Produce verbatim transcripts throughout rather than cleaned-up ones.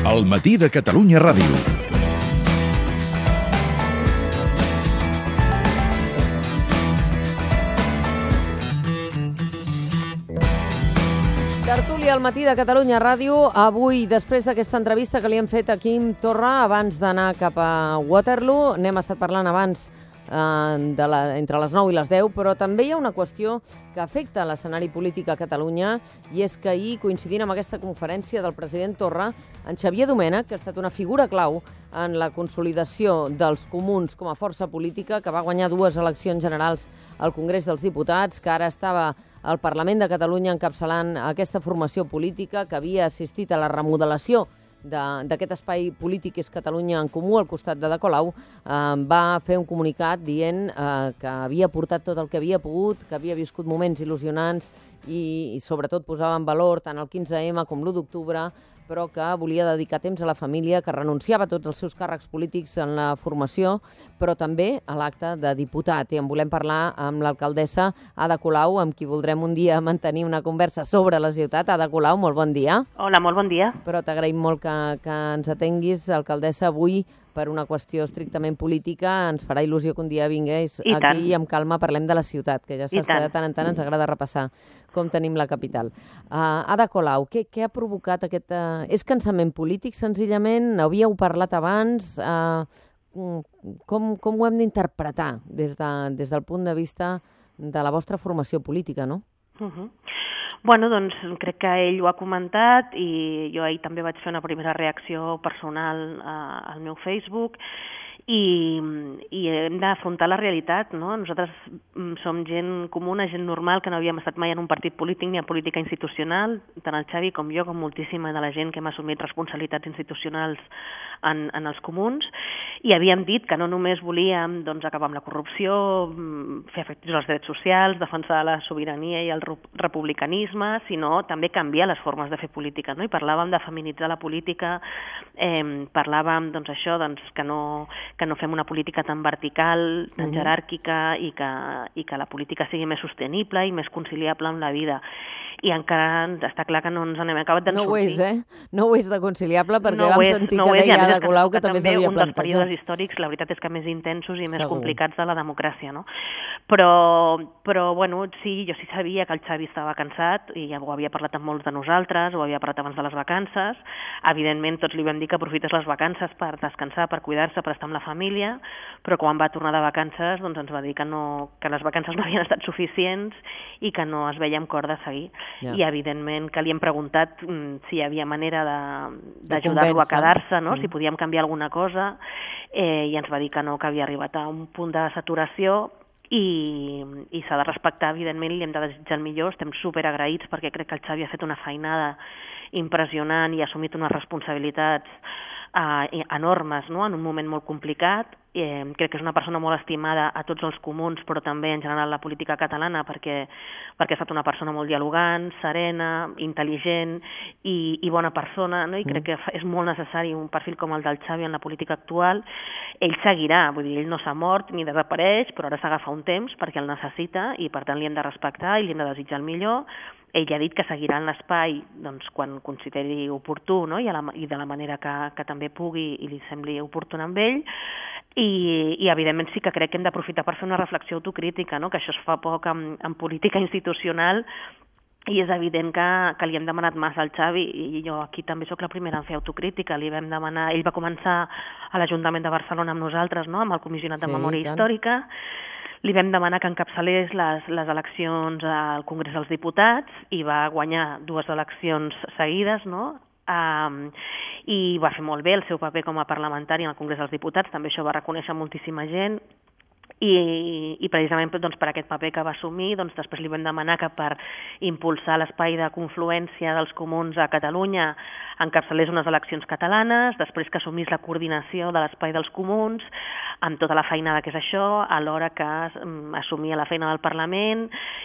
El matí de Catalunya Ràdio. Tertúlia al matí de Catalunya Ràdio. Avui, després d'aquesta entrevista que li hem fet a Quim Torra, abans d'anar cap a Waterloo, n'hem estat parlant abans eh, de la, entre les nou i les deu, però també hi ha una qüestió que afecta l'escenari polític a Catalunya, i és que ahir, coincidint amb aquesta conferència del president Torra, en Xavier Domènech, que ha estat una figura clau en la consolidació dels comuns com a força política, que va guanyar dues eleccions generals al Congrés dels Diputats, que ara estava al Parlament de Catalunya encapçalant aquesta formació política, que havia assistit a la remodelació d'aquest espai polític que és Catalunya en Comú, al costat de Ada Colau, eh, va fer un comunicat dient eh, que havia portat tot el que havia pogut, que havia viscut moments il·lusionants i, i sobretot posava en valor tant el quinze ema com l'u d'octubre, però que volia dedicar temps a la família, que renunciava a tots els seus càrrecs polítics en la formació, però també a l'acte de diputat. I en volem parlar amb l'alcaldessa Ada Colau, amb qui voldrem un dia mantenir una conversa sobre la ciutat. Ada Colau, molt bon dia. Hola, molt bon dia. Però t'agraïm molt que, que ens atenguis, alcaldessa, avui, per una qüestió estrictament política. Ens farà il·lusió que un dia vingués I aquí tant. i amb calma parlem de la ciutat, que ja saps que de tant en tant ens agrada repassar com tenim la capital. Uh, Ada Colau, què, què ha provocat aquest... Uh, és cansament polític, senzillament? Havíeu parlat abans? Uh, com, com ho hem d'interpretar des, de, des del punt de vista de la vostra formació política, no? Uh-huh. Bueno, doncs crec que ell ho ha comentat i jo ahir també vaig fer una primera reacció personal uh, al meu Facebook. I, i hem d'afrontar la realitat, no? Nosaltres som gent comuna, gent normal, que no havíem estat mai en un partit polític ni en política institucional, tant el Xavi com jo, com moltíssima de la gent que hem assumit responsabilitats institucionals en, en els comuns, i havíem dit que no només volíem doncs, acabar amb la corrupció, fer efectius els drets socials, defensar la sobirania i el republicanisme, sinó també canviar les formes de fer política, no? I parlàvem de feminitzar la política, eh, parlàvem doncs, això, doncs, que no que no fem una política tan vertical, tan uh-huh. jeràrquica, i que, i que la política sigui més sostenible i més conciliable amb la vida. I encara està clar que no ens n'hem acabat de sortir. No ho és, eh? No ho és de conciliable, perquè no vam és, sentir no que deia Ada Colau que, que també s'havia plantejat. Un dels períodes històrics, la veritat és que més intensos i més Segur. complicats de la democràcia, no? Però, però, bueno, sí, jo sí sabia que el Xavi estava cansat, i ja ho havia parlat amb molts de nosaltres, ho havia parlat abans de les vacances. Evidentment, tots li vam dir que aprofités les vacances per descansar, per cuidar-se, per estar amb la família, però quan va tornar de vacances doncs ens va dir que, no, que les vacances no havien estat suficients i que no es veia amb cor de seguir. Ja. I evidentment que li hem preguntat mm, si hi havia manera d'ajudar-lo a quedar-se, no? Mm. Si podíem canviar alguna cosa, eh, i ens va dir que no, que havia arribat a un punt de saturació i, i s'ha de respectar, evidentment, li hem de desitjar el millor. Estem superagraïts perquè crec que el Xavi ha fet una feinada impressionant i ha assumit unes responsabilitats eh, enormes, no? En un moment molt complicat. Eh, crec que és una persona molt estimada a tots els comuns, però també en general la política catalana, perquè, perquè ha estat una persona molt dialogant, serena, intel·ligent i, i bona persona, no? I crec que és molt necessari un perfil com el del Xavi en la política actual. Ell seguirà, vull dir, ell no s'ha mort ni desapareix, però ara s'agafa un temps perquè el necessita i per tant li hem de respectar i li hem de desitjar el millor. Ell ha dit que seguirà en l'espai doncs, quan consideri oportú, no? I, a la, i de la manera que, que també pugui i li sembli oportuna amb ell. I, i evidentment sí que crec que hem d'aprofitar per fer una reflexió autocrítica, no? Que això es fa poc en, en política institucional, i és evident que, que li hem demanat massa al Xavi, i jo aquí també sóc la primera en fer autocrítica. Li vam demanar, ell va començar a l'Ajuntament de Barcelona amb nosaltres, no? Amb el Comissionat de sí, Memòria tant. Històrica. Li vam demanar que encapçalés les, les eleccions al Congrés dels Diputats i va guanyar dues eleccions seguides, no? Um, i va fer molt bé el seu paper com a parlamentari en el Congrés dels Diputats, també això va reconèixer moltíssima gent, i, i precisament doncs, per aquest paper que va assumir, doncs, després li vam demanar que per impulsar l'espai de confluència dels comuns a Catalunya encapçalés unes eleccions catalanes, després que assumís la coordinació de l'espai dels comuns, amb tota la feinada que és això, alhora que um, assumia la feina del Parlament,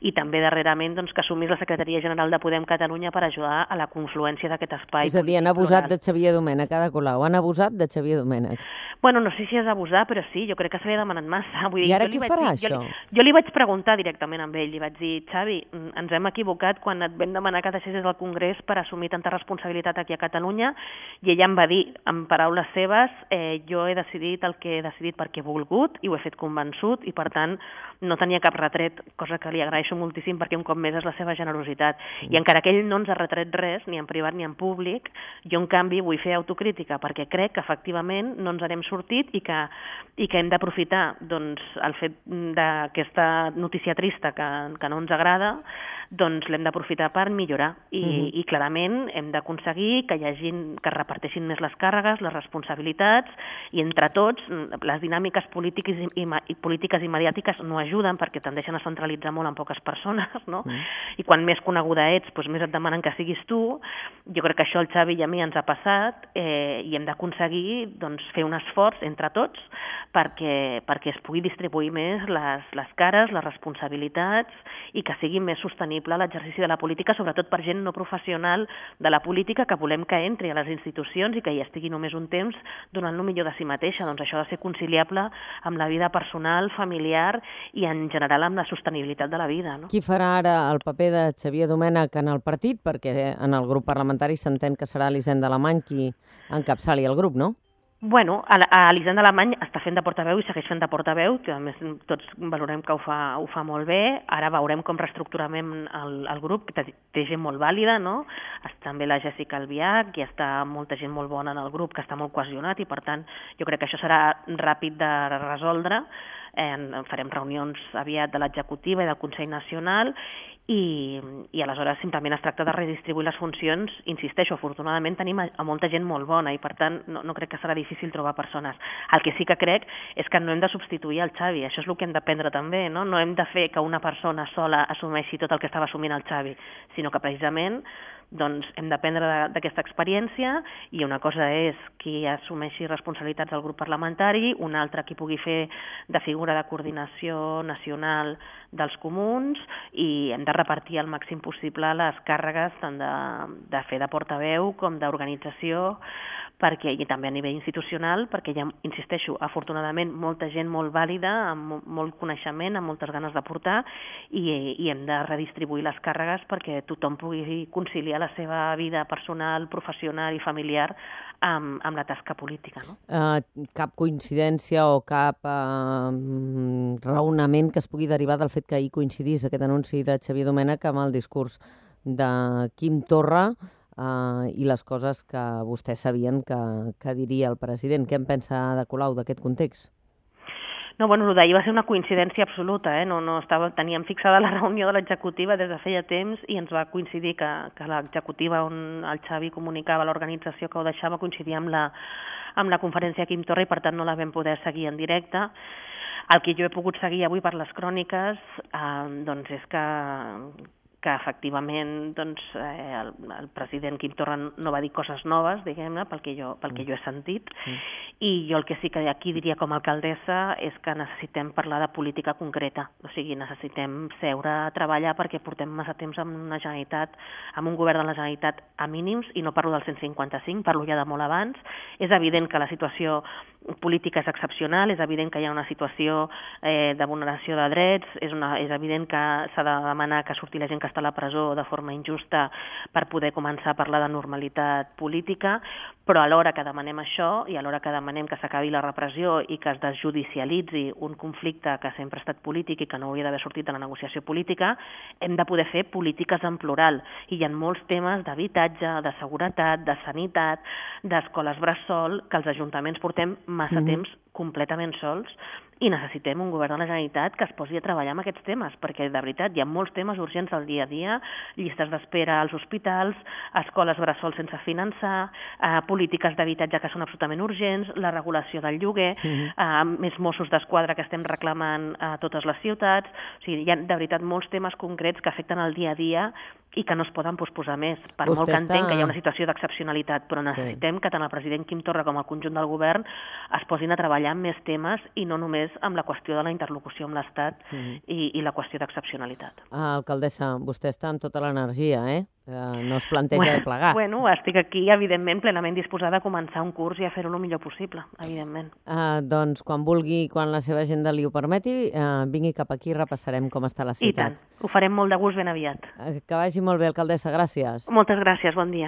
i també darrerament doncs, que assumís la Secretaria General de Podem Catalunya per ajudar a la confluència d'aquest espai. És a dir, han abusat de Xavier Domènech, Ada Colau, han abusat de Xavier Domènech. Bueno, no sé si és abusar, però sí, jo crec que s'havia demanat massa. Vull dir, I ara jo li qui vaig farà dir, això? Jo, li- jo li vaig preguntar directament amb ell, li vaig dir, Xavi, ens hem equivocat quan et vam demanar que deixessis el Congrés per assumir tanta responsabilitat aquí a Catalunya, i ella em va dir, en paraules seves, eh, jo he decidit el que he decidit perquè he volgut i ho he fet convençut, i per tant no tenia cap retret, cosa que li agraeixo moltíssim perquè un cop més és la seva generositat. Mm. I encara que ell no ens ha retret res, ni en privat ni en públic, jo en canvi vull fer autocrítica perquè crec que efectivament no ens n'hem sortit i que, i que hem d'aprofitar doncs, el fet d'aquesta notícia trista que, que no ens agrada, doncs l'hem d'aprofitar per millorar i, mm. i clarament hem d'aconseguir que hi hagi, que es reparteixin més les càrregues, les responsabilitats, i entre tots les dinàmiques polítiques i, i, polítiques i mediàtiques no ajuden perquè tendeixen a centralitzar molt en poques persones, no? Mm. I quan més coneguda ets, doncs més et demanen que siguis tu. Jo crec que això al Xavi i a mi ens ha passat eh, i hem d'aconseguir doncs, fer un esforç entre tots perquè, perquè es pugui distribuir més les, les cares, les responsabilitats i que sigui més sostenible l'exercici de la política, sobretot per gent no professional de la política que volem que entri a les institucions i que hi estigui només un temps donant el millor de si mateixa. Doncs això ha de ser conciliable amb la vida personal, familiar i en general amb la sostenibilitat de la vida. No? Qui farà ara el paper de Xavier Domènech en el partit? Perquè en el grup parlamentari s'entén que serà l'Hisenda Alemany qui encapçali el grup, no? Bueno, l'Hisenda Alemany està fent de portaveu i segueix fent de portaveu, que a més tots valorem que ho fa, ho fa molt bé. Ara veurem com reestructurem el, el grup, que té gent molt vàlida, no? Està també la Jessica Albiach, i està molta gent molt bona en el grup, que està molt cohesionat, i per tant jo crec que això serà ràpid de resoldre. Eh, farem reunions aviat de l'executiva i del Consell Nacional, i, i aleshores simplement es tracta de redistribuir les funcions. Insisteixo, afortunadament tenim a, a molta gent molt bona i per tant no, no crec que serà difícil trobar persones. El que sí que crec és que no hem de substituir el Xavi, això és el que hem d'aprendre també, no? No hem de fer que una persona sola assumeixi tot el que estava assumint el Xavi, sinó que precisament doncs hem d'aprendre d'aquesta experiència, i una cosa és qui assumeixi responsabilitats del grup parlamentari, una altra qui pugui fer de figura de coordinació nacional dels comuns, i hem de repartir al màxim possible les càrregues tant de, de fer de portaveu com d'organització, perquè, i també a nivell institucional, perquè hi ha, insisteixo, afortunadament molta gent molt vàlida, amb molt coneixement, amb moltes ganes d'aportar, i, i hem de redistribuir les càrregues perquè tothom pugui conciliar la seva vida personal, professional i familiar amb, amb la tasca política. No? Uh, cap coincidència o cap uh, raonament que es pugui derivar del fet que ahir coincidís aquest anunci de Xavier Domènech amb el discurs de Quim Torra, Uh, i les coses que vostès sabien que, que diria el president. Què en pensa de Colau d'aquest context? No, bueno, el d'ahir va ser una coincidència absoluta, eh? no, no estava, teníem fixada la reunió de l'executiva des de feia temps i ens va coincidir que, que l'executiva on el Xavi comunicava l'organització que ho deixava coincidia amb la, amb la conferència de Quim Torra, i per tant no la vam poder seguir en directe. El que jo he pogut seguir avui per les cròniques eh, doncs és que que efectivament doncs, eh, el, el president Quim Torra no va dir coses noves, diguem-ne, pel que jo, pel que jo he sentit, mm. i jo el que sí que aquí diria com a alcaldessa és que necessitem parlar de política concreta, o sigui, necessitem seure a treballar perquè portem massa temps amb una Generalitat, amb un govern de la Generalitat a mínims, i no parlo del cent cinquanta-cinc, parlo ja de molt abans. És evident que la situació política és excepcional, és evident que hi ha una situació eh, de vulneració de drets, és, una, és evident que s'ha de demanar que surti la gent que està a la presó de forma injusta per poder començar a parlar de normalitat política, però alhora que demanem això i alhora que demanem que s'acabi la repressió i que es desjudicialitzi un conflicte que sempre ha estat polític i que no hauria d'haver sortit de la negociació política, hem de poder fer polítiques en plural. I hi ha molts temes d'habitatge, de seguretat, de sanitat, d'escoles bressol, que els ajuntaments portem massa mm-hmm. temps completament sols, i necessitem un govern de la Generalitat que es posi a treballar amb aquests temes, perquè de veritat hi ha molts temes urgents al dia a dia, llistes d'espera als hospitals, escoles bressol sense finançar, eh, polítiques d'habitatge que són absolutament urgents, la regulació del lloguer, mm-hmm. eh, més Mossos d'Esquadra que estem reclamant a totes les ciutats. O sigui, hi ha de veritat molts temes concrets que afecten el dia a dia i que no es poden posposar més, per Vostè molt que entenc està... que hi ha una situació d'excepcionalitat, però necessitem sí. que tant el president Quim Torra com el conjunt del govern es posin a treballar treballar amb més temes i no només amb la qüestió de la interlocució amb l'Estat mm. i, i la qüestió d'excepcionalitat. Ah, alcaldessa, vostè està amb tota l'energia, eh? Uh, no es planteja bueno, de plegar. Bueno, estic aquí, evidentment, plenament disposada a començar un curs i a fer-ho el millor possible, evidentment. Uh, doncs, quan vulgui, quan la seva agenda li ho permeti, uh, vingui cap aquí i repassarem com està la ciutat. I tant, ho farem molt de gust ben aviat. Uh, que vagi molt bé, alcaldessa, gràcies. Moltes gràcies, bon dia.